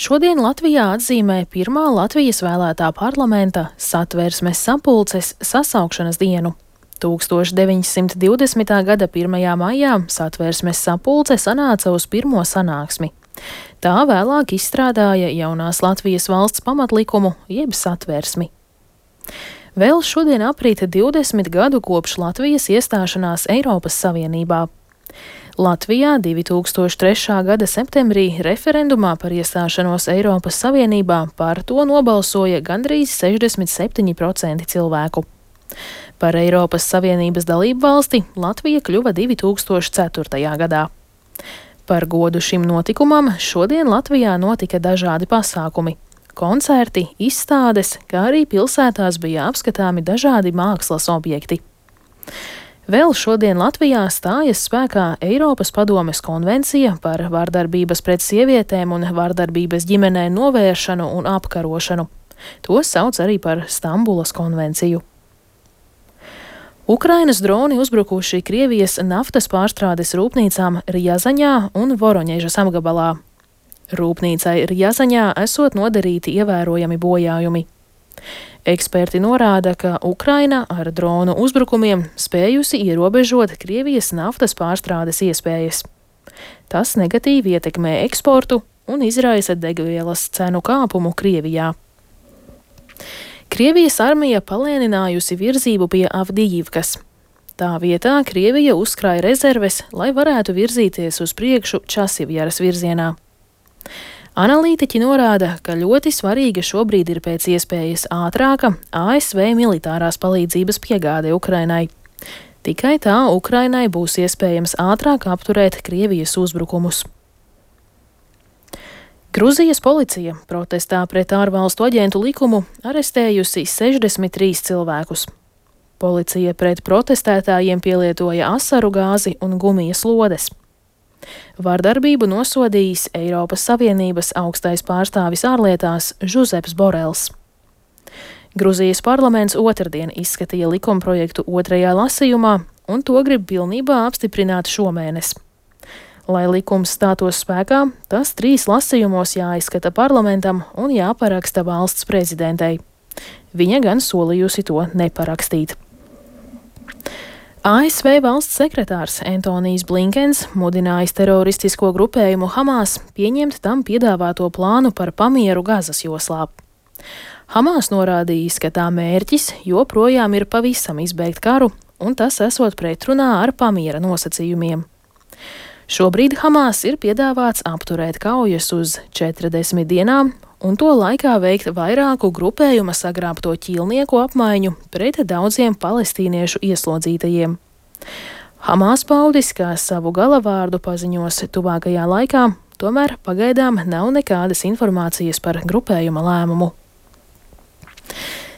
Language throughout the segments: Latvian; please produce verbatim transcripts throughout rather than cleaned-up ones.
Šodien Latvijā atzīmē pirmā Latvijas vēlētā parlamenta Satversmes sapulces sasaukšanas dienu. tūkstoš deviņsimt divdesmitā gada pirmajā maijā Satversmes sapulce sanāca uz pirmo sanāksmi. Tā vēlāk izstrādāja jaunās Latvijas valsts pamatlikumu jeb Satversmi. Vēl šodien aprīt divdesmit gadu kopš Latvijas iestāšanās Eiropas Savienībā. Latvijā divi tūkstoši trešā gada septembrī referendumā par iestāšanos Eiropas Savienībā par to nobalsoja gandrīz sešdesmit septiņi procenti cilvēku. Par Eiropas Savienības dalību valsti Latvija kļuva divi tūkstoši ceturtajā gadā. Par godu šim notikumam šodien Latvijā notika dažādi pasākumi. Koncerti, izstādes, kā arī pilsētās bija apskatāmi dažādi mākslas objekti. Vēl šodien Latvijā stājas spēkā Eiropas padomes konvencija par vardarbības pret sievietēm un vardarbības ģimenē novēršanu un apkarošanu. To sauc arī par Stambulas konvenciju. Ukrainas droni uzbrukuši Krievijas naftas pārstrādes rūpnīcām Rjazaņā un Voroņežas apgabalā. Rūpnīcai Rjazaņā esot nodarīti ievērojami bojājumi. Eksperti norāda, ka Ukraina ar dronu uzbrukumiem spējusi ierobežot Krievijas naftas pārstrādes iespējas. Tas negatīvi ietekmē eksportu un izraisa degvielas cenu kāpumu Krievijā. Krievijas armija palēninājusi virzību pie Avdijivkas. Tā vietā Krievija uzkrāja rezerves, lai varētu virzīties uz priekšu Časivjaras virzienā. Analītiķi norāda, ka ļoti svarīga šobrīd ir pēc iespējas ātrāka A S V militārās palīdzības piegāde Ukrainai. Tikai tā Ukrainai būs iespējams ātrāk apturēt Krievijas uzbrukumus. Gruzijas policija protestā pret ārvalstu aģentu likumu arestējusi sešdesmit trīs cilvēkus. Policija pret protestētājiem pielietoja asaru gāzi un gumijas lodes. Vardarbību nosodījis Eiropas Savienības augstais pārstāvis ārlietās Žuzeps Borels. Gruzijas parlaments otrdien izskatīja likumprojektu otrajā lasījumā, un to grib pilnībā apstiprināt šomēnes. Lai likums stātos spēkā, tas trīs lasījumos jāizskata parlamentam un jāparaksta valsts prezidentei. Viņa gan solījusi to neparakstīt. A S V valsts sekretārs Antonijs Blinkens mudinājis teroristisko grupējumu Hamas pieņemt tam piedāvāto plānu par pamieru Gazas joslā. Hamas norādījis, ka tā mērķis joprojām ir pavisam izbeigt karu, un tas esot pretrunā ar pamiera nosacījumiem. Šobrīd Hamas ir piedāvāts apturēt kaujas uz četrdesmit dienām un to laikā veikt vairāku grupējuma sagrābto ķīlnieku apmaiņu pret daudziem palestīniešu ieslodzītajiem. Hamas paudis, kā savu galavārdu paziņos tuvākajā laikā, tomēr pagaidām nav nekādas informācijas par grupējuma lēmumu.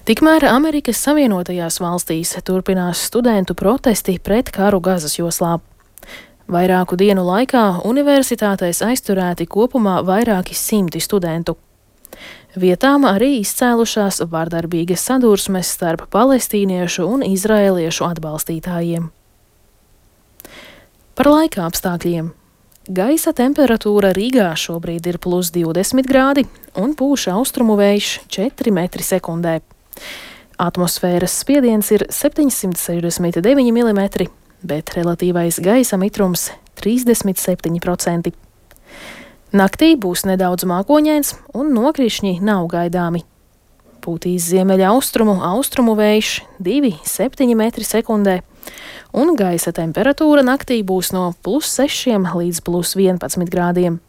Tikmēr Amerikas Savienotajās valstīs turpinās studentu protesti pret karu Gazas joslā. Vairāku dienu laikā universitātēs aizturēti kopumā vairāki simti studentu. Vietām arī izcēlušās vardarbīgas sadursmes starp palestīniešu un izraēliešu atbalstītājiem. Par laika apstākļiem. Gaisa temperatūra Rīgā šobrīd ir plus divdesmit grādi un pūš austrumu vējš četri metri sekundē. Atmosfēras spiediens ir septiņsimt sešdesmit deviņi milimetri, bet relatīvais gaisa mitrums trīsdesmit septiņi procenti. Naktī būs nedaudz mākoņains un nokrišņi nav gaidāmi. Pūtīs ziemeļa austrumu, austrumu vējš divi septiņi metri sekundē, un gaisa temperatūra naktī būs no plus sešiem līdz plus vienpadsmit grādiem.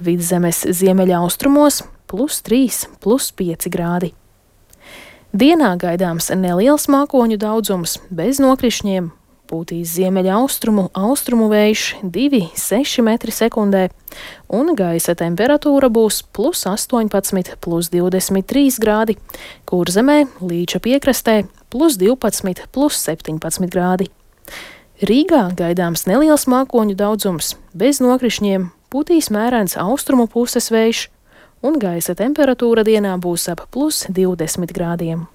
Vidzemes ziemeļa austrumos plus trīs, plus pieci grādi. Dienā gaidāms neliels mākoņu daudzums bez nokrišņiem. Pūtīs ziemeļa austrumu, austrumu vējš divi seši metri sekundē, un gaisa temperatūra būs plus astoņpadsmit, plus divdesmit trīs grādi, Kurzemē, Līča piekrastē, plus divpadsmit, plus septiņpadsmit grādi. Rīgā gaidāms neliels mākoņu daudzums, bez nokrišņiem, pūtīs mērens austrumu puses vējš, un gaisa temperatūra dienā būs ap plus divdesmit grādiem.